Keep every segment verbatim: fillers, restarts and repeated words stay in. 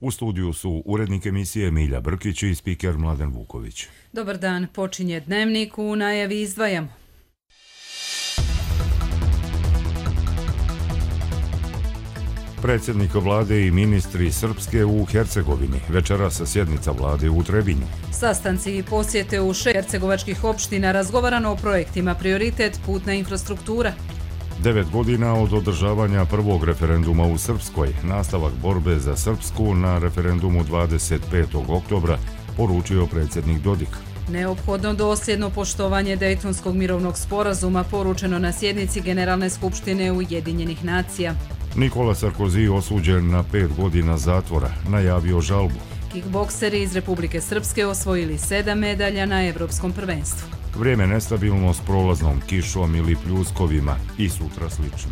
U studiju su urednik emisije Milja Brkić i spiker Mladen Vuković. Dobar dan, počinje Dnevnik, u najavi izdvajamo. Predsjednik vlade i ministri Srpske u Hercegovini. Večeras sa sjednica vlade u Trebinju. Sastanci i posjete u šest hercegovačkih opština, razgovarano o projektima prioritet putna infrastruktura. Devet godina od održavanja prvog referenduma u Srpskoj. Nastavak borbe za Srpsku na referendumu dvadeset petog oktobra, poručio predsjednik Dodik. Neophodno dosljedno poštovanje Dejtonskog mirovnog sporazuma, poručeno na sjednici Generalne skupštine Ujedinjenih nacija. Nikola Sarkozy osuđen na pet godina zatvora, najavio žalbu. Kickbokseri iz Republike Srpske osvojili sedam medalja na Evropskom prvenstvu. Vrijeme nestabilno s prolaznom kišom ili pljuskovima i sutra slično.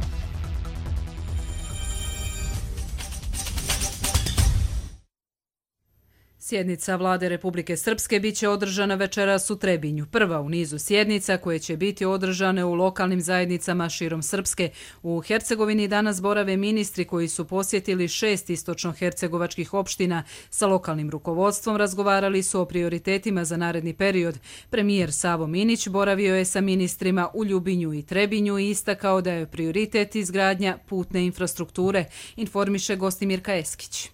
Sjednica vlade Republike Srpske biće održana večeras u Trebinju. Prva u nizu sjednica koje će biti održane u lokalnim zajednicama širom Srpske. U Hercegovini danas borave ministri koji su posjetili šest istočno-hercegovačkih opština. Sa lokalnim rukovodstvom razgovarali su o prioritetima za naredni period. Premijer Savo Minić boravio je sa ministrima u Ljubinju i Trebinju i istakao da je prioritet izgradnja putne infrastrukture, informiše Gostimirka Eskić.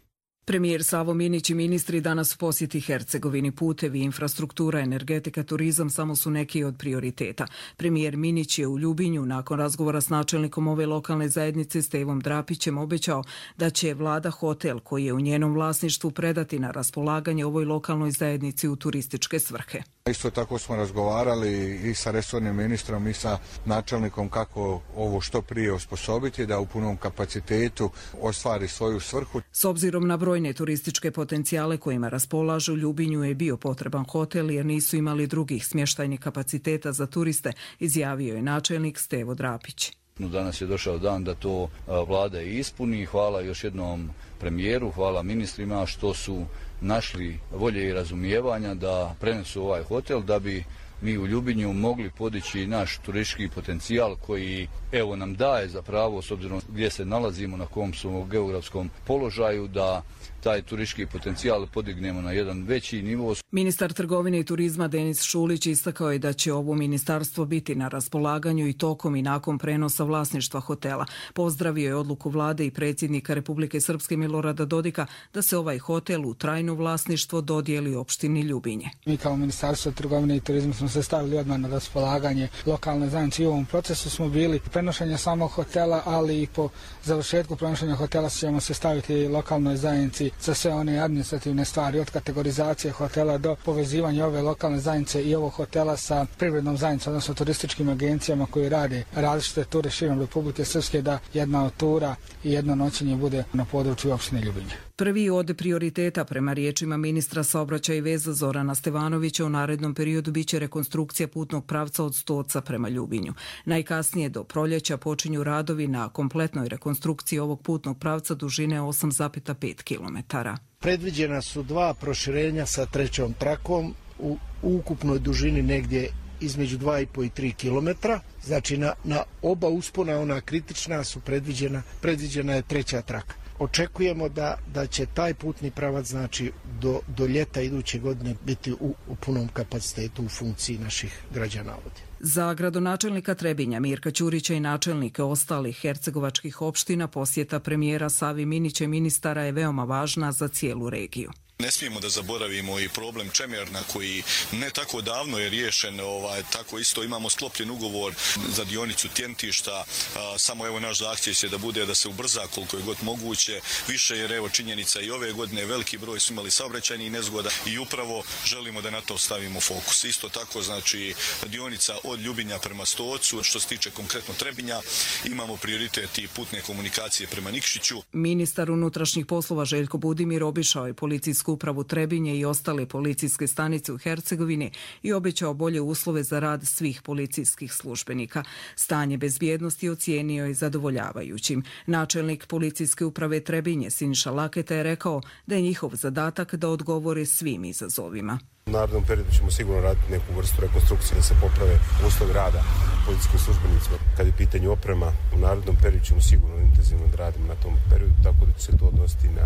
Premijer Savo Minić i ministri danas u posjeti Hercegovini. Putevi, infrastruktura, energetika, turizam samo su neki od prioriteta. Premijer Minić je u Ljubinju nakon razgovora s načelnikom ove lokalne zajednice Stevom Drapićem obećao da će vlada hotel koji je u njenom vlasništvu predati na raspolaganje ovoj lokalnoj zajednici u turističke svrhe. Isto tako smo razgovarali i sa resornim ministrom i sa načelnikom kako ovo što prije osposobiti da u punom kapacitetu ostvari svoju svrhu. S obzirom na brojne turističke potencijale kojima raspolažu, Ljubinju je bio potreban hotel jer nisu imali drugih smještajnih kapaciteta za turiste, izjavio je načelnik Stevo Drapić. Danas je došao dan da to vlada i ispuni. Hvala još jednom premijeru, hvala ministrima što su našli volje i razumijevanja da prenesu ovaj hotel da bi mi u Ljubinju mogli podići naš turistički potencijal koji evo nam daje za pravo, s obzirom gdje se nalazimo, na kom su geografskom položaju, da taj turistički potencijal podignemo na jedan veći nivo. Ministar trgovine i turizma Denis Šulić istakao je da će ovo ministarstvo biti na raspolaganju i tokom i nakon prenosa vlasništva hotela. Pozdravio je odluku vlade i predsjednika Republike Srpske Milorada Dodika da se ovaj hotel u trajno vlasništvo dodijeli opštini Ljubinje. Mi kao Ministarstvo trgovine i turizma smo se stavili odmah na raspolaganje lokalne zajednice i u ovom procesu smo bili prenošenja samog hotela, ali i po završetku prenošenja hotela ćemo se staviti lokalnoj zajednici za sve one administrativne stvari, od kategorizacije hotela do povezivanja ove lokalne zajednice i ovog hotela sa privrednom zajednicom, odnosno turističkim agencijama koji rade različite ture širom Republike Srpske, da jedna od tura i jedno noćenje bude na području opštine Ljubinje. Prvi od prioriteta, prema riječima ministra saobraćaja i veza Zorana Stevanovića, u narednom periodu biće rekonstrukcija putnog pravca od Stoca prema Ljubinju. Najkasnije do proljeća počinju radovi na kompletnoj rekonstrukciji ovog putnog pravca dužine osam zarez pet kilometara. Predviđena su dva proširenja sa trećom trakom u ukupnoj dužini negdje između dva i po i tri kilometra. Znači na, na oba uspona, ona kritična, su predviđena, predviđena je treća traka. Očekujemo da, da će taj putni pravac, znači do, do ljeta iduće godine biti u, u punom kapacitetu u funkciji naših građana ovdje. Za gradonačelnika Trebinja Mirka Ćurića i načelnike ostalih hercegovačkih opština posjeta premijera Savi Minića i ministara je veoma važna za cijelu regiju. Ne smijemo da zaboravimo i problem Čemerna koji ne tako davno je riješen, ovaj, tako isto imamo sklopljen ugovor za dionicu Tjentišta, a, samo evo naš zahtjev je da bude da se ubrza koliko je god moguće, više jer evo činjenica i ove godine veliki broj su imali saobraćajnih nezgoda i upravo želimo da na to stavimo fokus. Isto tako znači dionica od Ljubinja prema Stocu, što se tiče konkretno Trebinja, imamo prioritet i putne komunikacije prema Nikšiću. Ministar unutrašnjih poslova Željko Budimir obišao je policijsku upravu Trebinje i ostale policijske stanice u Hercegovini i obećao bolje uslove za rad svih policijskih službenika. Stanje bezbjednosti ocijenio je zadovoljavajućim. Načelnik policijske uprave Trebinje Siniša Laketa je rekao da je njihov zadatak da odgovore svim izazovima. U narednom periodu ćemo sigurno raditi neku vrstu rekonstrukcije da se poprave uslovi rada policijskim službenicima. Kad je pitanje oprema, u narednom periodu ćemo sigurno intenzivno da radimo na tom periodu, tako da će se to odnositi na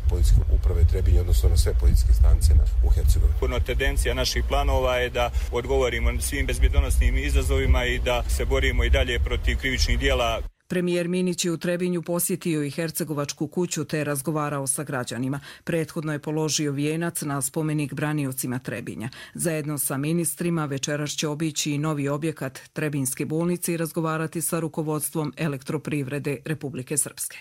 policijske uprave Trebinje, odnosno na sve policijske stanice u Hercegovini. Puno tendencija naših planova je da odgovorimo svim bezbjednosnim izazovima i da se borimo i dalje protiv krivičnih djela. Premijer Minić je u Trebinju posjetio i Hercegovačku kuću te razgovarao sa građanima. Prethodno je položio vijenac na spomenik braniocima Trebinja. Zajedno sa ministrima večeras će obići i novi objekat Trebinjske bolnice i razgovarati sa rukovodstvom Elektroprivrede Republike Srpske.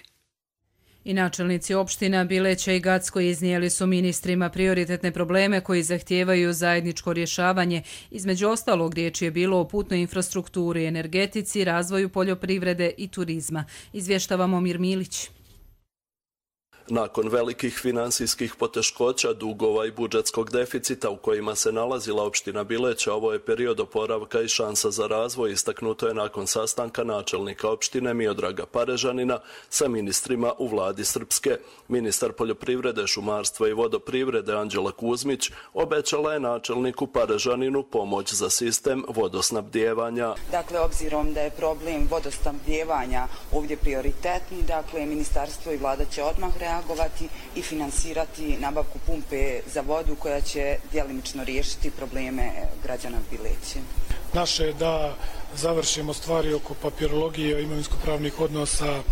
I načelnici opština Bileća i Gacko iznijeli su ministrima prioritetne probleme koji zahtijevaju zajedničko rješavanje. Između ostalog riječ je bilo o putnoj infrastrukturi, energetici, razvoju poljoprivrede i turizma. Izvještava Momir Milić. Nakon velikih finansijskih poteškoća, dugova i budžetskog deficita u kojima se nalazila opština Bileća, ovo je period oporavka i šansa za razvoj, istaknuto je nakon sastanka načelnika opštine Miodraga Parežanina sa ministrima u vladi Srpske. Ministar poljoprivrede, šumarstva i vodoprivrede Anđela Kuzmić obećala je načelniku Parežaninu pomoć za sistem vodosnabdijevanja. Dakle, obzirom da je problem vodosnabdijevanja ovdje prioritetni, dakle, ministarstvo i vlada će odmah reagovati reagovati i finansirati nabavku pumpe za vodu koja će djelimično riješiti probleme građana Bileće. Naše je da završimo stvari oko papirologije, imovinsko-pravnih odnosa,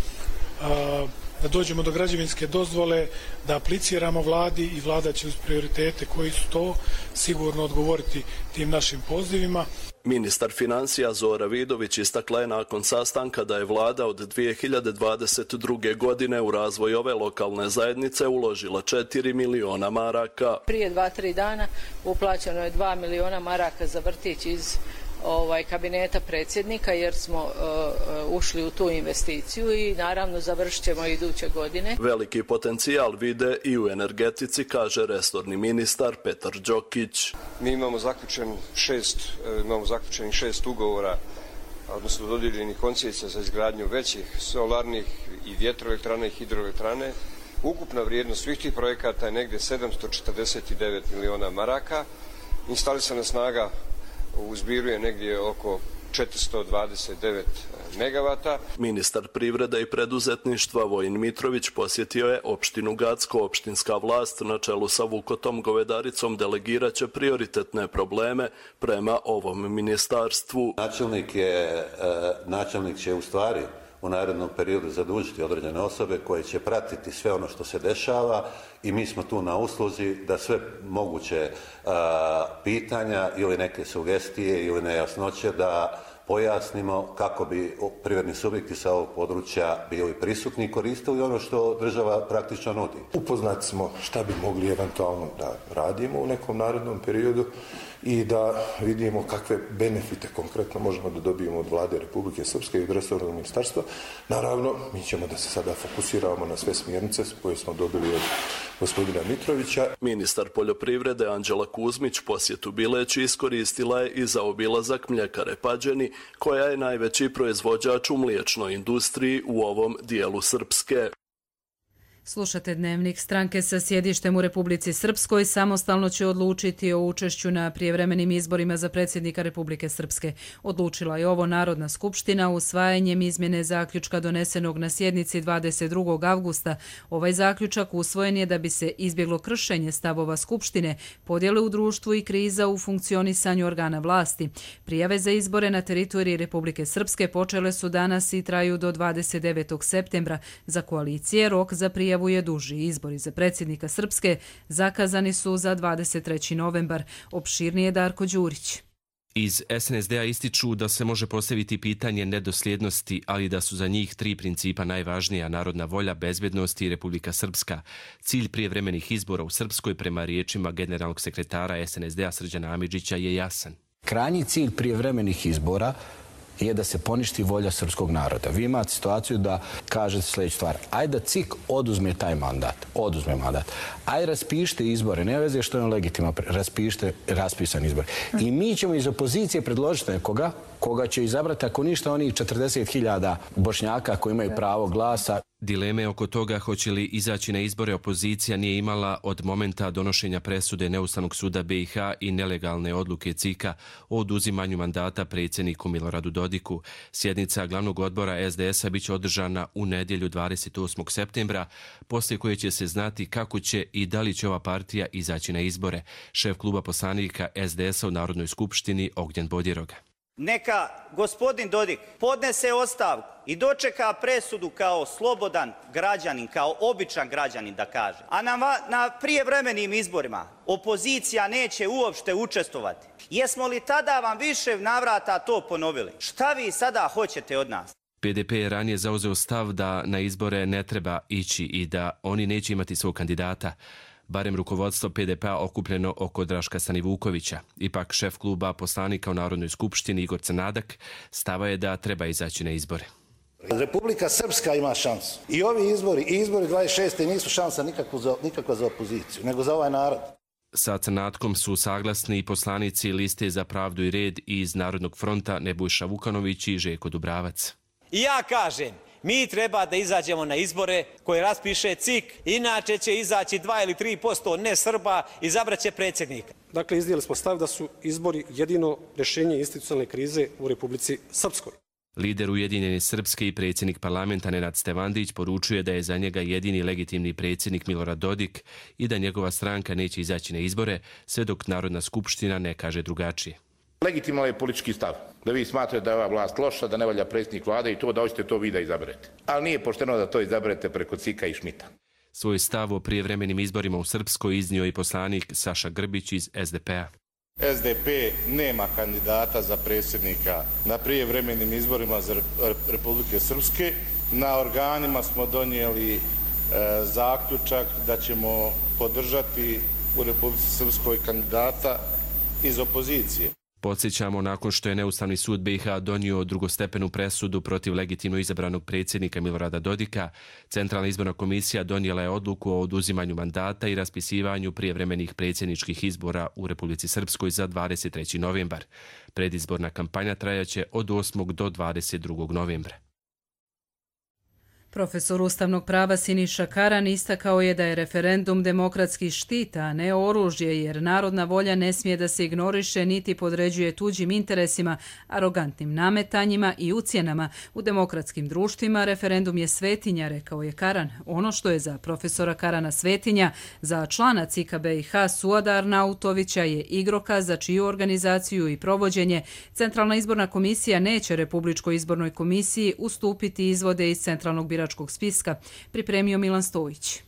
da dođemo do građevinske dozvole, da apliciramo vladi i vlada će uz prioritete koji su to sigurno odgovoriti tim našim pozivima. Ministar financija Zora Vidović istakla je nakon sastanka da je vlada od dvije hiljade dvadeset druge. godine u razvoj ove lokalne zajednice uložila četiri miliona maraka. Prije dva, tri dana uplaćeno je dva miliona maraka za vrtić iz ovaj kabineta predsjednika jer smo uh, ušli u tu investiciju i naravno završit ćemo iduće godine. Veliki potencijal vide i u energetici, kaže resorni ministar Petar Đokić. Mi imamo zaključen šest, imamo zaključenih šest ugovora, odnosno dodijeljenih koncesija za izgradnju većih solarnih i vjetroelektrane i hidroelektrane. Ukupna vrijednost svih tih projekata je negdje sedamsto četrdeset devet miliona maraka. Instalisana snaga u zbiru je negdje oko četiristo dvadeset devet megavata. Ministar privrede i preduzetništva Vojin Mitrović posjetio je opštinu Gacko. Opštinska vlast na čelu sa Vukotom Govedaricom delegirat će prioritetne probleme prema ovom ministarstvu. Načelnik, je, načelnik će u stvari u narednom periodu zadužiti određene osobe koje će pratiti sve ono što se dešava i mi smo tu na usluzi da sve moguće a, pitanja ili neke sugestije ili nejasnoće da pojasnimo kako bi privredni subjekti sa ovog područja bili prisutni i koristili ono što država praktično nudi. Upoznati smo šta bi mogli eventualno da radimo u nekom narednom periodu i da vidimo kakve benefite konkretno možemo da dobijemo od vlade Republike Srpske i od resornog ministarstva. Naravno, mi ćemo da se sada fokusiramo na sve smjernice koje smo dobili od gospodina Mitrovića. Ministar poljoprivrede Anđela Kuzmić posjetu Bileći iskoristila je i za obilazak mljekare Pađeni, koja je najveći proizvođač u mliječnoj industriji u ovom dijelu Srpske. Slušate Dnevnik. Stranke sa sjedištem u Republici Srpskoj samostalno će odlučiti o učešću na prijevremenim izborima za predsjednika Republike Srpske. Odlučila je ovo Narodna skupština usvajanjem izmjene zaključka donesenog na sjednici dvadeset drugog avgusta. Ovaj zaključak usvojen je da bi se izbjeglo kršenje stavova skupštine, podjele u društvu i kriza u funkcionisanju organa vlasti. Prijave za izbore na teritoriji Republike Srpske počele su danas i traju do dvadeset devetog septembra. Za koalicije rok za prijavu je duži. Izbori za predsjednika Srpske zakazani su za dvadeset treći novembar. Opširnije Darko Đurić. Iz es en es de a ističu da se može postaviti pitanje nedosljednosti, ali da su za njih tri principa najvažnija: narodna volja, bezbjednost i Republika Srpska. Cilj prijevremenih izbora u Srpskoj, prema riječima generalnog sekretara es en es de a Srđana Amidžića, je jasan. Krajnji cilj prijevremenih izbora je da se poništi volja srpskog naroda. Vi imate situaciju da kažete sljedeću stvar. Ajde da C I K oduzme taj mandat. Oduzme mandat. Ajde raspišite izbore. Ne veze što je on legitima. Raspišite raspisan izbor. I mi ćemo iz opozicije predložiti nekoga koga će izabrati, ako ništa, onih četrdeset hiljada Bošnjaka koji imaju pravo glasa. Dileme oko toga hoće li izaći na izbore opozicija nije imala od momenta donošenja presude Neustavnog suda B i H i nelegalne odluke C I K-a o oduzimanju mandata predsjedniku Miloradu Dodiku. Sjednica glavnog odbora S D S-a biće održana u nedjelju dvadeset osmog septembra, poslije koje će se znati kako će i da li će ova partija izaći na izbore. Šef kluba poslanika S D S-a u Narodnoj skupštini Ognjen Bodjeroga. Neka gospodin Dodik podnese ostavku i dočeka presudu kao slobodan građanin, kao običan građanin da kaže. A na, na prijevremenim izborima opozicija neće uopšte učestvovati. Jesmo li tada vam više navrata to ponovili? Šta vi sada hoćete od nas? P D P je ranije zauzeo stav da na izbore ne treba ići i da oni neće imati svog kandidata. Barem rukovodstvo P D P-a okupljeno oko Draška Stanivukovića. Ipak šef kluba poslanika u Narodnoj skupštini Igor Crnadak stava je da treba izaći na izbore. Republika Srpska ima šansu. I ovi izbori, i izbori dvadeset šeste nisu šansa nikakva za, nikakva za opoziciju, nego za ovaj narod. Sa Crnatkom su saglasni i poslanici Liste za pravdu i red iz Narodnog fronta Nebojša Vukanović i Željko Dubravac. I ja kažem, mi treba da izađemo na izbore koje raspiše C I K, inače će izaći dva ili tri posto ne Srba, izabraće predsjednika. Dakle, iznijeli smo stav da su izbori jedino rješenje institucionalne krize u Republici Srpskoj. Lider Ujedinjene Srpske i predsjednik parlamenta Nenad Stevandić poručuje da je za njega jedini legitimni predsjednik Milorad Dodik i da njegova stranka neće izaći na izbore sve dok Narodna skupština ne kaže drugačije. Legitiman je politički stav. Da vi smatrate da je ova vlast loša, da ne valja predsjednik vlade i to da hoćete to vi da izaberete. Ali nije pošteno da to izaberete preko C I K-a i Šmita. Svoj stav o prijevremenim izborima u Srpskoj iznio i poslanik Saša Grbić iz S D P-a. S D P nema kandidata za predsjednika na prijevremenim izborima za Republike Srpske. Na organima smo donijeli e, zaključak da ćemo podržati u Republici Srpskoj kandidata iz opozicije. Podsjećamo, nakon što je Neustavni sud B i H donio drugostepenu presudu protiv legitimno izabranog predsjednika Milorada Dodika, Centralna izborna komisija donijela je odluku o oduzimanju mandata i raspisivanju prijevremenih predsjedničkih izbora u Republici Srpskoj za dvadeset treći novembar. Predizborna kampanja trajaće od osmog do dvadeset drugog novembra. Profesor ustavnog prava Siniša Karan istakao je da je referendum demokratski štit, a ne oružje, jer narodna volja ne smije da se ignoriše niti podređuje tuđim interesima, arogantnim nametanjima i ucjenama. U demokratskim društvima referendum je svetinja, rekao je Karan. Ono što je za profesora Karana svetinja, za člana C I K-a B i H Suada Arnautovića je igrokaz za čiju organizaciju i provođenje Centralna izborna komisija neće Republičkoj izbornoj komisiji ustupiti izvode iz centralnog biračkog spiska, pripremio Milan Stojić.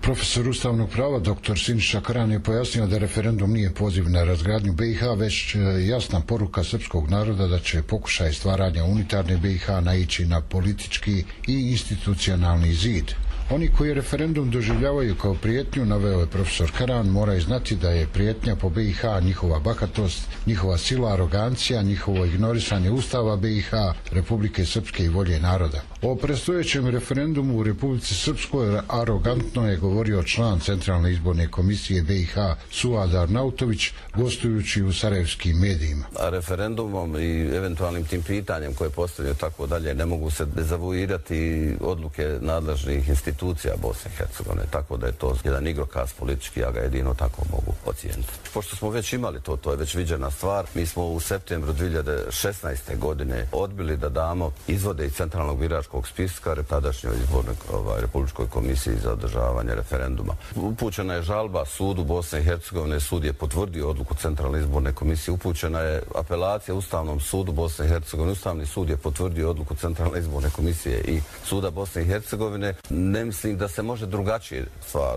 Profesor ustavnog prava dr. Siniša Karan je pojasnio da referendum nije poziv na razgradnju B i H, već jasna poruka srpskog naroda da će pokušaj stvaranja unitarne B i H naići na politički i institucionalni zid. Oni koji referendum doživljavaju kao prijetnju, naveo je profesor Karan, moraju znati da je prijetnja po B i H njihova bahatost, njihova sila, arogancija, njihovo ignorisanje Ustava B i H, Republike Srpske i volje naroda. O predstojećem referendumu u Republici Srpskoj arogantno je govorio član Centralne izborne komisije B i H Suad Arnautović, gostujući u sarajevskim medijima. A referendumom i eventualnim tim pitanjem koje postavljaju tako dalje ne mogu se dezavuirati odluke nadležnih institucija Bosne i Hercegovine, tako da je to jedan igrokaz politički, ja ga jedino tako mogu ocijeniti. Pošto smo već imali to, to je već viđena stvar, mi smo u septembru dvije hiljade šesnaeste. godine odbili da damo izvode iz Centralnog biračkog spiska tadašnjoj izbornoj ovaj, Republičkoj komisiji za održavanje referenduma. Upućena je žalba sudu Bosne i Hercegovine, sud je potvrdio odluku Centralne izborne komisije, upućena je apelacija Ustavnom sudu Bosne i Hercegovine, Ustavni sud je potvrdio odluku Centralne izborne komisije i suda Bosne i Hercegovine. Ne mislim da se može drugačije stvar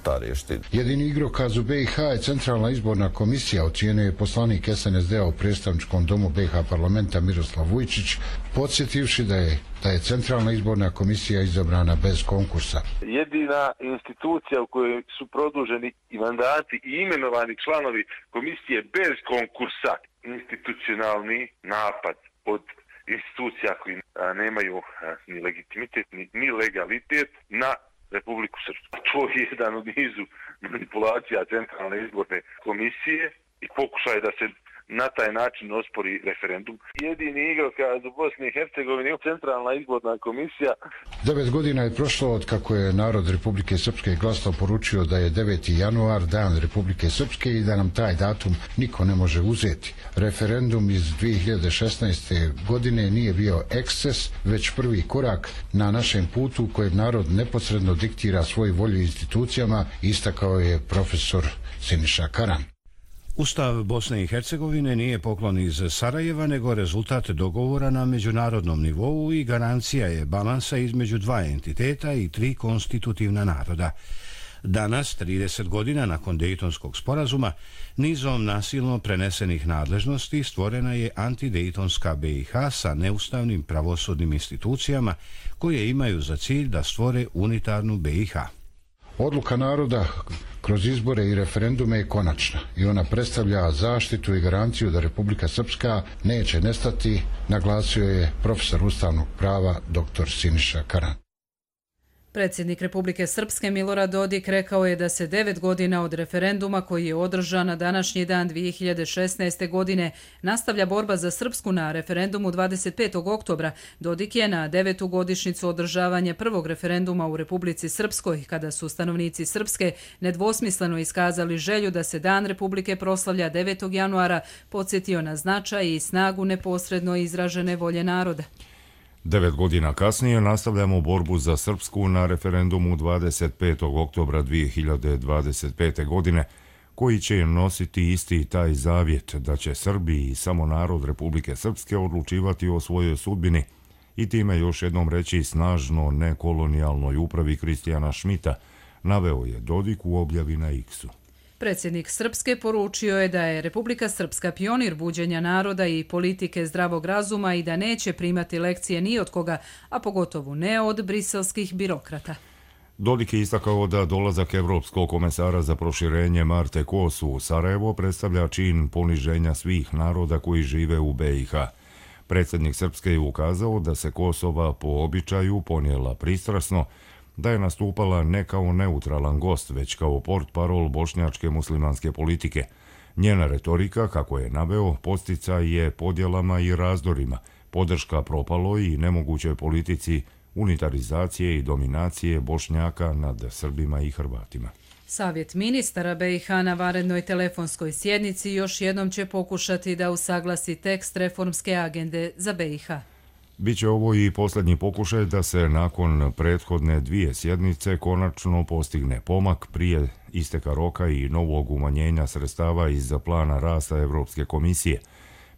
ta riješiti. Jedini igrokaz u B i H je Centralna izborna komisija, ocijenio je poslanik S N S D-a u predstavničkom domu B i H parlamenta Miroslav Vujčić, podsjetivši da je da je Centralna izborna komisija izabrana bez konkursa. Jedina institucija u kojoj su produženi i mandati i imenovani članovi komisije bez konkursa, institucionalni napad od institucija koji nemaju ni legitimitet ni, ni legalitet na Republiku Srpsku. To je jedan od nizu manipulacija Centralne izborne komisije i pokušaj da se na taj način ospori referendum. Jedini igrokaz u Bosni i Hercegovini je centralna izborna komisija. Devet godina je prošlo od kako je narod Republike Srpske glasno poručio da je deveti januar dan Republike Srpske i da nam taj datum niko ne može uzeti. Referendum iz dvije hiljade šesnaeste. godine nije bio eksces, već prvi korak na našem putu kojeg narod neposredno diktira svoju volju institucijama, istakao je profesor Siniša Karan. Ustav Bosne i Hercegovine nije poklon iz Sarajeva, nego rezultat dogovora na međunarodnom nivou i garancija je balansa između dva entiteta i tri konstitutivna naroda. Danas, trideset godina nakon Dejtonskog sporazuma, nizom nasilno prenesenih nadležnosti stvorena je antidejtonska B i H sa neustavnim pravosudnim institucijama koje imaju za cilj da stvore unitarnu B i H. Odluka naroda kroz izbore i referendume je konačna i ona predstavlja zaštitu i garanciju da Republika Srpska neće nestati, naglasio je profesor ustavnog prava dr Siniša Karan. Predsjednik Republike Srpske Milorad Dodik rekao je da se devet godina od referenduma koji je održan na današnji dan dvije hiljade šesnaeste. godine nastavlja borba za Srpsku na referendumu dvadeset petog oktobra. Dodik je na devetu godišnjicu održavanja prvog referenduma u Republici Srpskoj, kada su stanovnici Srpske nedvosmisleno iskazali želju da se Dan Republike proslavlja devetog januara, podsjetio na značaj i snagu neposredno izražene volje naroda. Devet godina kasnije nastavljamo borbu za Srpsku na referendumu dvadeset petog oktobra dvije hiljade dvadeset pete. godine, koji će nositi isti taj zavjet da će Srbi i samo narod Republike Srpske odlučivati o svojoj sudbini i time još jednom reći snažno nekolonijalnoj upravi Kristijana Šmita, naveo je Dodik u objavi na X-u. Predsjednik Srpske poručio je da je Republika Srpska pionir buđenja naroda i politike zdravog razuma i da neće primati lekcije ni od koga, a pogotovo ne od briselskih birokrata. Dodik je istakao da dolazak Evropskog komesara za proširenje Marte Kosu u Sarajevo predstavlja čin poniženja svih naroda koji žive u B i H. Predsjednik Srpske je ukazao da se Kosova po običaju ponijela pristrasno, da je nastupala ne kao neutralan gost, već kao portparol bošnjačke muslimanske politike. Njena retorika, kako je naveo, posticaj je podjelama i razdorima, podrška propaloj i nemogućoj politici unitarizacije i dominacije Bošnjaka nad Srbima i Hrvatima. Savjet ministara B i H na vanrednoj telefonskoj sjednici još jednom će pokušati da usaglasi tekst reformske agende za B i H. Biće ovo i posljednji pokušaj da se nakon prethodne dvije sjednice konačno postigne pomak prije isteka roka i novog umanjenja sredstava iz plana rasta Evropske komisije.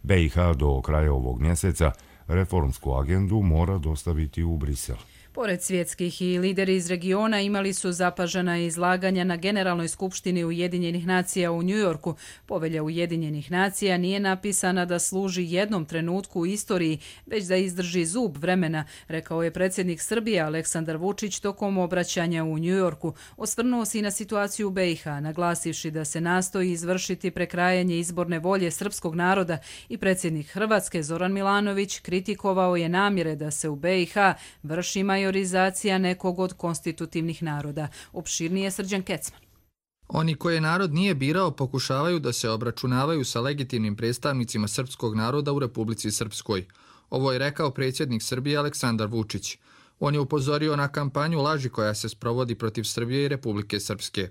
B i H do kraja ovog mjeseca reformsku agendu mora dostaviti u Brisel. Pored svjetskih i lideri iz regiona imali su zapažena izlaganja na Generalnoj skupštini Ujedinjenih nacija u Njujorku. Povelja Ujedinjenih nacija nije napisana da služi jednom trenutku u istoriji, već da izdrži zub vremena, rekao je predsjednik Srbije Aleksandar Vučić tokom obraćanja u Njujorku. Osvrnuo se i na situaciju u B i H, naglasivši da se nastoji izvršiti prekrajanje izborne volje srpskog naroda i predsjednik Hrvatske Zoran Milanović kritikovao je namjere da se u B i H vrši majorizacija nekog od konstitutivnih naroda. Opširnije Srđan Kecman. Oni koje narod nije birao pokušavaju da se obračunavaju sa legitimnim predstavnicima srpskog naroda u Republici Srpskoj. Ovo je rekao predsjednik Srbije Aleksandar Vučić. On je upozorio na kampanju laži koja se sprovodi protiv Srbije i Republike Srpske.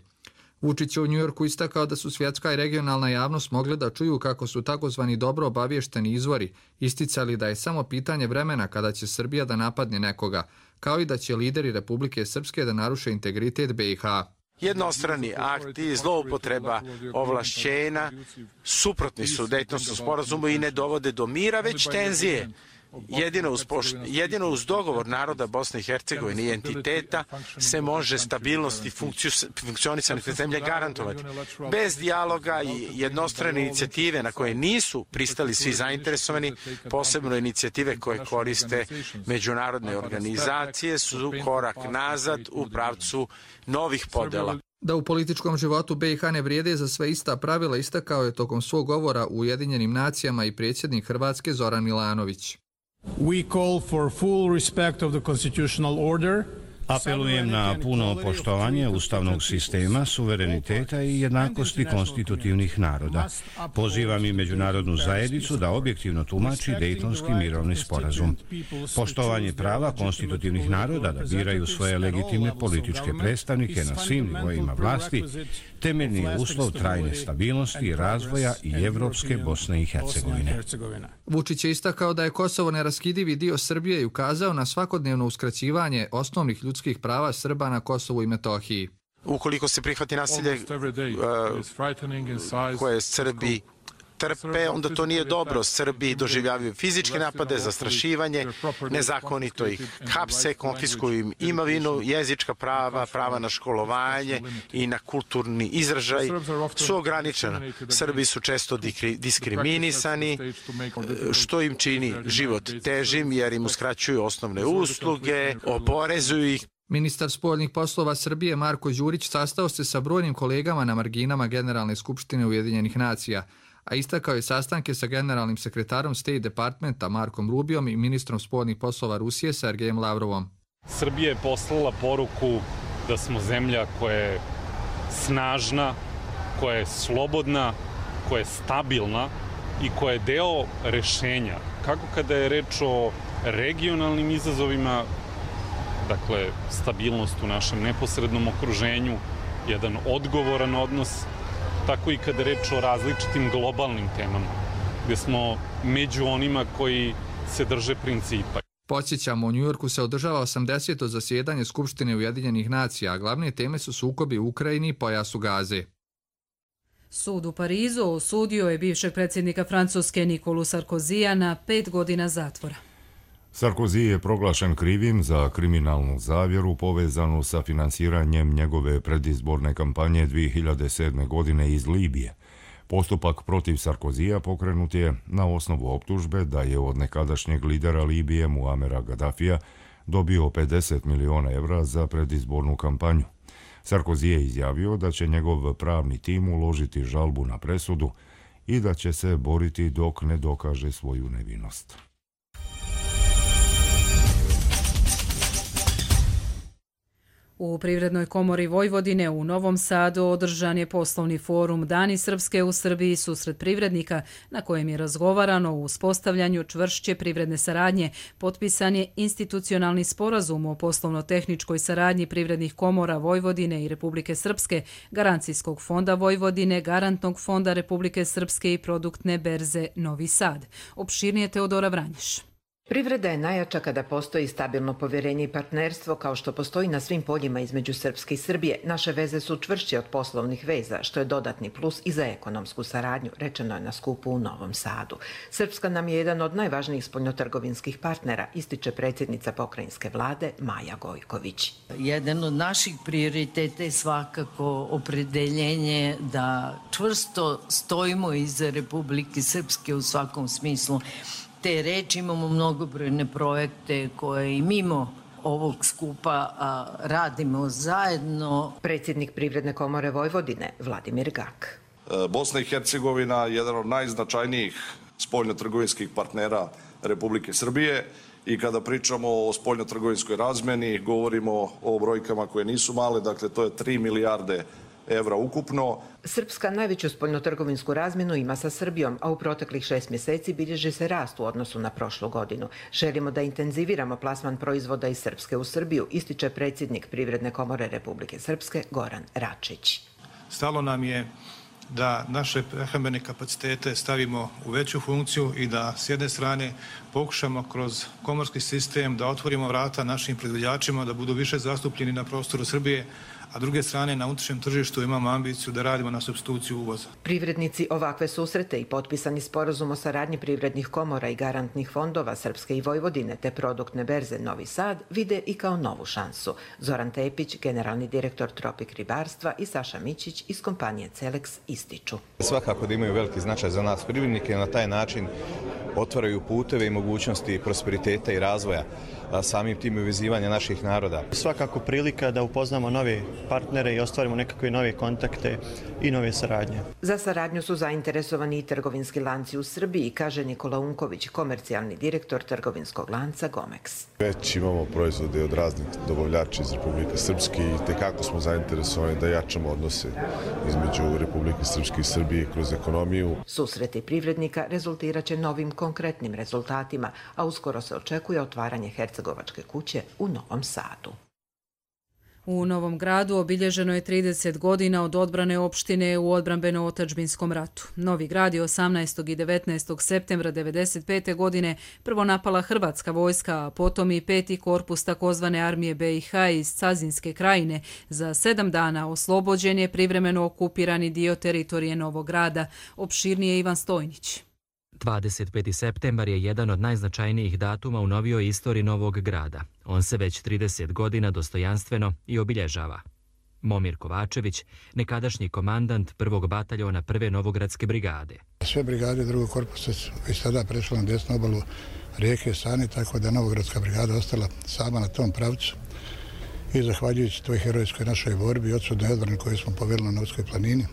Vučić je u Njujorku istakao da su svjetska i regionalna javnost mogli da čuju kako su takozvani dobro obavješteni izvori isticali da je samo pitanje vremena kada će Srbija da napadne nekoga, kao i da će lideri Republike Srpske da naruše integritet B i H. Jednostrani akti, zloupotreba ovlašćenja suprotni su Dejtonskom sporazumu i ne dovode do mira, već tenzije. Jedino uz, pošt, jedino uz dogovor naroda Bosne i Hercegovine i entiteta se može stabilnost i funkcionisanje zemlje garantovati. Bez dijaloga i jednostrane inicijative na koje nisu pristali svi zainteresovani, posebno inicijative koje koriste međunarodne organizacije, su korak nazad u pravcu novih podela. Da u političkom životu B i H ne vrijede za sve ista pravila istakao je tokom svog govora u Ujedinjenim nacijama i predsjednik Hrvatske Zoran Milanović. We call for full respect of the constitutional order Apelujem na puno poštovanje ustavnog sistema, suvereniteta i jednakosti konstitutivnih naroda. Pozivam i međunarodnu zajednicu da objektivno tumači Dejtonski mirovni sporazum. Poštovanje prava konstitutivnih naroda da biraju svoje legitimne političke predstavnike na svim nivoima vlasti temeljni je uslov trajne stabilnosti, razvoja i evropske Bosne i Hercegovine. Vučić je istakao da je Kosovo neraskidivi dio Srbije i ukazao na svakodnevno uskraćivanje osnovnih ljudskih prava Srba na Kosovu i Metohiji. Ukoliko se prihvati nasilje koje Srbi trpe, onda to nije dobro. Srbi doživljavaju fizičke napade, zastrašivanje, nezakonito ih hapse, konfiskuju im imovinu, jezička prava, prava na školovanje i na kulturni izražaj su ograničena. Srbi su često diskriminisani, što im čini život težim jer im uskraćuju osnovne usluge, oporezuju ih. Ministar spoljnih poslova Srbije Marko Đurić sastao se sa brojnim kolegama na marginama Generalne skupštine Ujedinjenih nacija, a istakao je sastanke sa generalnim sekretarom State Departmenta Markom Rubijom i ministrom spoljnih poslova Rusije Sergejem Lavrovom. Srbija je poslala poruku da smo zemlja koja je snažna, koja je slobodna, koja je stabilna i koja je deo rešenja. Kako kada je reč o regionalnim izazovima, dakle stabilnost u našem neposrednom okruženju, jedan odgovoran odnos, tako i kada reč o različitim globalnim temama, gde smo među onima koji se drže principa. Podsjećamo, u Njujorku se održava osamdeseto zasjedanje Skupštine Ujedinjenih nacija, a glavne teme su sukobi u Ukrajini i pojasu Gaze. Sud u Parizu osudio je bivšeg predsjednika Francuske Nikolu Sarkozija na pet godina zatvora. Sarkozy je proglašen krivim za kriminalnu zavjeru povezanu sa finansiranjem njegove predizborne kampanje dvije hiljade sedme. godine iz Libije. Postupak protiv Sarkozija pokrenut je na osnovu optužbe da je od nekadašnjeg lidera Libije Muamera Gaddafija dobio pedeset miliona evra za predizbornu kampanju. Sarkozy je izjavio da će njegov pravni tim uložiti žalbu na presudu i da će se boriti dok ne dokaže svoju nevinost. U Privrednoj komori Vojvodine u Novom Sadu održan je poslovni forum Dani Srpske u Srbiji susret privrednika na kojem je razgovarano o uspostavljanju čvršće privredne saradnje. Potpisan je institucionalni sporazum o poslovno-tehničkoj saradnji privrednih komora Vojvodine i Republike Srpske, Garancijskog fonda Vojvodine, Garantnog fonda Republike Srpske i Produktne berze Novi Sad. Opširnije Teodora Vranješ. Privreda je najjača kada postoji stabilno povjerenje i partnerstvo, kao što postoji na svim poljima između Srpske i Srbije. Naše veze su čvršće od poslovnih veza, što je dodatni plus i za ekonomsku saradnju, rečeno je na skupu u Novom Sadu. Srpska nam je jedan od najvažnijih spoljnotrgovinskih partnera, ističe predsjednica pokrajinske vlade Maja Gojković. Jedan od naših prioriteta je svakako opredeljenje da čvrsto stojimo iza Republike Srpske u svakom smislu te reči. Imamo mnogobrojne projekte koje i mimo ovog skupa a, radimo zajedno. Predsjednik Privredne komore Vojvodine Vladimir Gak. Bosna i Hercegovina je jedan od najznačajnijih spoljnotrgovinskih partnera Republike Srbije i kada pričamo o spoljnotrgovinskoj razmeni govorimo o brojkama koje nisu male, dakle to je tri milijarde evra ukupno. Srpska najveću spoljnotrgovinsku razmjenu ima sa Srbijom, a u proteklih šest mjeseci bilježi se rast u odnosu na prošlu godinu. Želimo da intenziviramo plasman proizvoda iz Srpske u Srbiju, ističe predsjednik Privredne komore Republike Srpske Goran Račić. Stalo nam je da naše prehrambene kapacitete stavimo u veću funkciju i da s jedne strane pokušamo kroz komorski sistem da otvorimo vrata našim proizvođačima da budu više zastupljeni na prostoru Srbije, a druge strane na unutrašnjem tržištu imamo ambiciju da radimo na supstituciju uvoza. Privrednici ovakve susrete i potpisani sporazum o saradnji privrednih komora i garantnih fondova Srpske i Vojvodine te produktne berze Novi Sad vide i kao novu šansu. Zoran Tepić, generalni direktor Tropik ribarstva i Saša Mićić iz kompanije Celex ističu. Svakako da imaju veliki značaj za nas privrednike, na taj način otvaraju puteve i mogućnosti prosperiteta i razvoja samim tim uvezivanja naših naroda. Svakako prilika da upoznamo nove partnere i ostvarimo nekakve nove kontakte i nove saradnje. Za saradnju su zainteresovani i trgovinski lanci u Srbiji, kaže Nikola Unković, komercijalni direktor trgovinskog lanca Gomex. Već imamo proizvode od raznih dobavljača iz Republike Srpske i tekako smo zainteresovani da jačamo odnose između Republike Srpske i Srbije kroz ekonomiju. Susreti privrednika rezultirat će novim konkretnim rezultatima, a uskoro se očekuje otvaranje Hercegovačke kuće u Novom Sadu. U Novom Gradu obilježeno je trideset godina od odbrane opštine u odbrambeno-otadžbinskom ratu. Novi Grad je osamnaestog i devetnaestog septembra devedeset pete godine prvo napala hrvatska vojska, a potom i peti korpus takozvane armije B i H iz Cazinske krajine. Za sedam dana oslobođen je privremeno okupirani dio teritorije Novog Grada. Opširnije Ivan Stojnić. dvadeset peti septembar je jedan od najznačajnijih datuma u novijoj istoriji Novog Grada. On se već trideset godina dostojanstveno i obilježava. Momir Kovačević, nekadašnji komandant prvog bataljona prve Novogradske brigade. Sve brigade drugog korpusa su već sada prešle na desnu obalu rijeke Sane, tako da Novogradska brigada ostala sama na tom pravcu. I zahvaljujući toj herojskoj našoj borbi i odsudnoj odbrani koju smo poveli na Novskoj planini,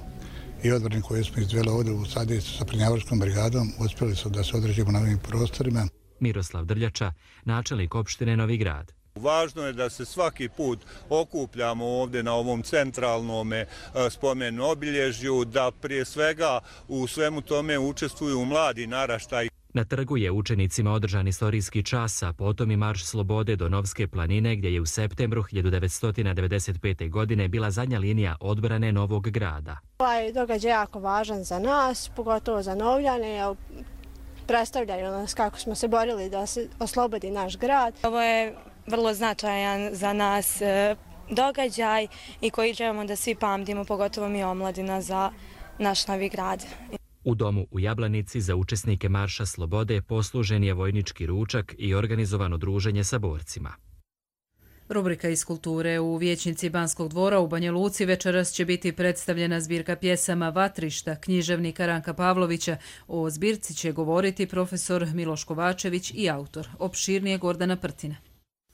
i odbrani koje smo izdveli ovdje u Sadjevicu sa Prnjavorskom brigadom, uspjeli su da se određemo na ovim prostorima. Miroslav Drljača, načelnik opštine Novi Grad. Važno je da se svaki put okupljamo ovdje na ovom centralnom spomenu obilježju, da prije svega u svemu tome učestvuju mladi naraštaj. Na trgu je učenicima održan istorijski čas, a potom i Marš slobode do Novske planine, gdje je u septembru hiljadu devetsto devedeset pete. godine bila zadnja linija odbrane Novog Grada. Ovaj događaj je jako važan za nas, pogotovo za Novljane, predstavljaju nas kako smo se borili da se oslobodi naš grad. Ovo je vrlo značajan za nas događaj i koji želimo da svi pamtimo, pogotovo mi omladina, za naš Novi Grad. U domu u Jablanici za učesnike Marša slobode poslužen je vojnički ručak i organizovano druženje sa borcima. Rubrika iz kulture. U vijećnici Banskog dvora u Banja Luci večeras će biti predstavljena zbirka pjesama Vatrišta književnika Ranka Pavlovića. O zbirci će govoriti profesor Miloš Kovačević i autor. Opširnije Gordana Prtina.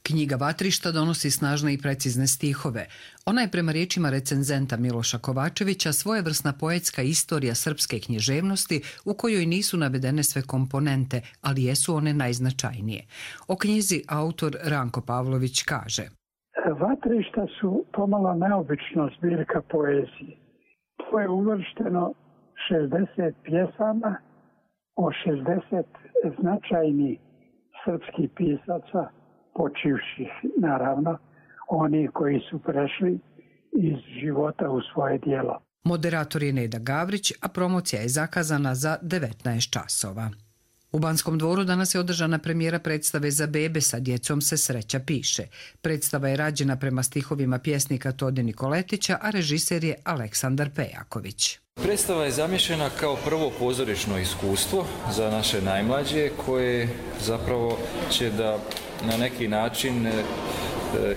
Knjiga Vatrišta donosi snažne i precizne stihove. Ona je prema riječima recenzenta Miloša Kovačevića svojevrsna poetska istorija srpske književnosti u kojoj nisu navedene sve komponente, ali jesu one najznačajnije. O knjizi autor Ranko Pavlović kaže: Vatrišta su pomalo neobična zbirka poezije. To je uvršteno šezdeset pjesama o šezdeset značajnih srpskih pisaca, počivših, naravno, oni koji su prešli iz života u svoje djelo. Moderator je Neda Gavrić, a promocija je zakazana za devetnaest časova. U Banskom dvoru danas je održana premijera predstave za bebe Sa djecom se sreća piše. Predstava je rađena prema stihovima pjesnika Tode Nikoletića, a režiser je Aleksandar Pejaković. Predstava je zamišljena kao prvo pozorišno iskustvo za naše najmlađe, koje zapravo će da na neki način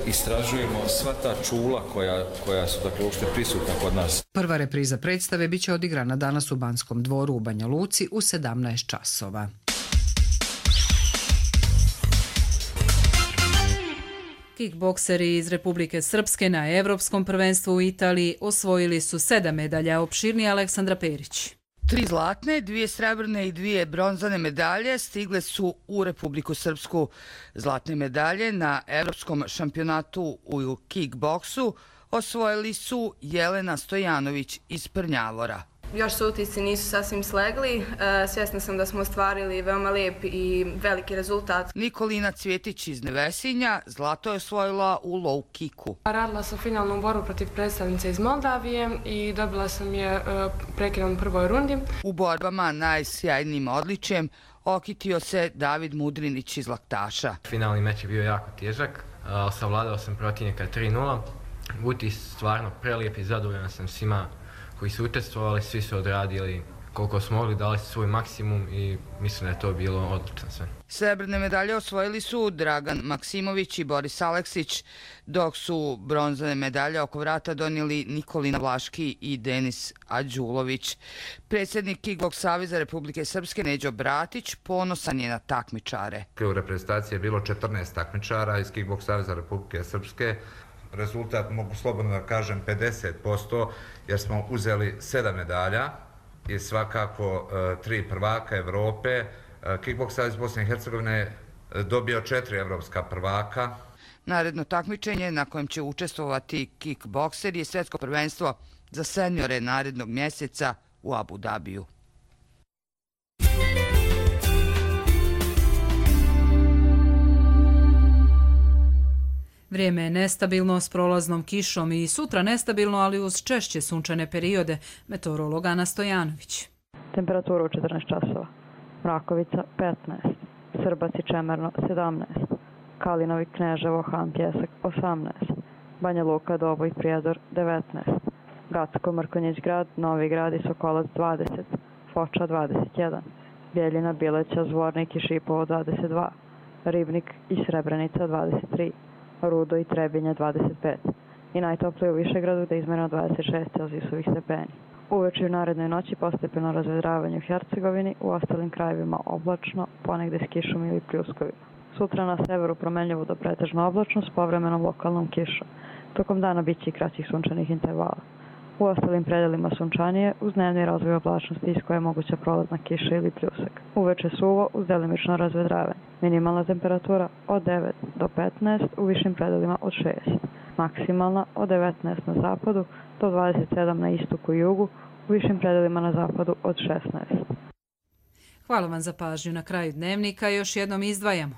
istražujemo sva ta čula koja, koja su dakle uopšte prisutna kod nas. Prva repriza predstave biće odigrana danas u Banskom dvoru u Banja Luci u sedamnaest časova. Kickbokseri iz Republike Srpske na Evropskom prvenstvu u Italiji osvojili su sedam medalja. Opširniji Aleksandra Perić. Tri zlatne, dvije srebrne i dvije bronzane medalje stigle su u Republiku Srpsku. Zlatne medalje na Evropskom šampionatu u kickboksu osvojili su Jelena Stojanović iz Prnjavora. Još su utisci nisu sasvim slegli. Svjesna sam da smo ostvarili veoma lijep i veliki rezultat. Nikolina Cvjetić iz Nevesinja zlato je osvojila u low kicku. Radila sam finalnu borbu protiv predstavnice iz Moldavije i dobila sam je prekidom u prvoj rundi. U borbama najsjajnijim odličjem okitio se David Mudrinić iz Laktaša. Finalni meč je bio jako težak, savladao sam protivnika tri nula. Utis stvarno prelijep i zadovoljan sam svima koji su učestvovali, svi su odradili koliko smo mogli, dali svoj maksimum i mislim da je to bilo odlično sve. Srebrne medalje osvojili su Dragan Maksimović i Boris Aleksić, dok su bronzane medalje oko vrata donijeli Nikolina Vlaški i Denis Ađulović. Predsjednik Kickboks saveza Republike Srpske Neđo Bratić ponosan je na takmičare. U reprezentaciji je bilo četrnaest takmičara iz Kickboks saveza Republike Srpske. Rezultat, mogu slobodno da kažem, pedeset posto, jer smo uzeli sedam medalja i svakako tri prvaka Evrope. Kickboks savez Bosne i Hercegovine dobio četiri evropska prvaka. Naredno takmičenje na kojem će učestvovati kickbokser je svjetsko prvenstvo za seniore narednog mjeseca u Abu Dabiju. Vrijeme je nestabilno s prolaznom kišom i sutra nestabilno, ali uz češće sunčane periode. Meteorolog Ana Stojanović. Temperatura u četrnaest časova. Mrakovica petnaest, Srbac i Čemerno sedamnaest, Kalinovi, Kneževo, Han, Pjesak osamnaest, Banja Luka, Doboj, Prijedor devetnaest, Gacko, Mrkonjić grad, Novi grad i Sokolac dvadeset, Foča dvadeset jedan, Bjeljina, Bileća, Zvornik i Šipovo dvadeset dva, Ribnik i Srebrenica dvadeset tri, Rudo i Trebinje dvadeset pet i najtoplije u Višegradu gde je izmjereno dvadeset šest celzijusovih stepeni. Uveče i u narednoj noći postepeno razvedravanje u Hercegovini, u ostalim krajevima oblačno, ponegde s kišom ili pljuskovima. Sutra na severu promenljivo do pretežno oblačno s povremenom lokalnom kišom. Tokom dana bit će i kraćih sunčanih intervala. U ostalim predelima sunčanije, uz dnevni razvoj oblačnosti iz koje je moguća prolazna kiša ili pljusak. Uveče suvo uz delimično razvedravanje. Minimalna temperatura od devet do petnaest, u višim predelima od šest. Maksimalna od devetnaest na zapadu do dvadeset sedam na istoku i jugu, u višim predelima na zapadu od šesnaest. Hvala vam za pažnju. Na kraju dnevnika još jednom izdvajamo.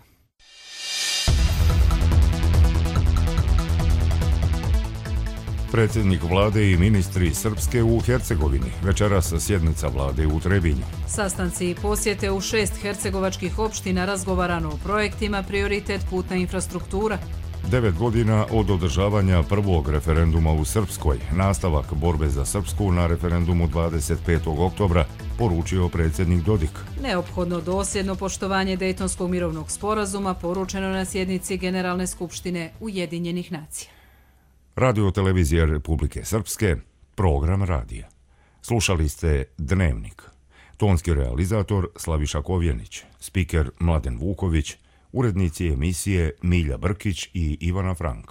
Predsjednik vlade i ministri Srpske u Hercegovini. Večeras sjednica vlade u Trebinju. Sastanci i posjete u šest hercegovačkih opština, razgovarano o projektima, prioritet putna infrastruktura. Devet godina od održavanja prvog referenduma u Srpskoj, nastavak borbe za Srpsku na referendumu dvadeset petog oktobra, poručio predsjednik Dodik. Neophodno dosljedno poštovanje Dejtonskog mirovnog sporazuma, poručeno na sjednici Generalne skupštine Ujedinjenih nacija. Radio televizija Republike Srpske, program radija. Slušali ste Dnevnik. Tonski realizator Slaviša Kovjenić, spiker Mladen Vuković, urednici emisije Milja Brkić i Ivana Frank.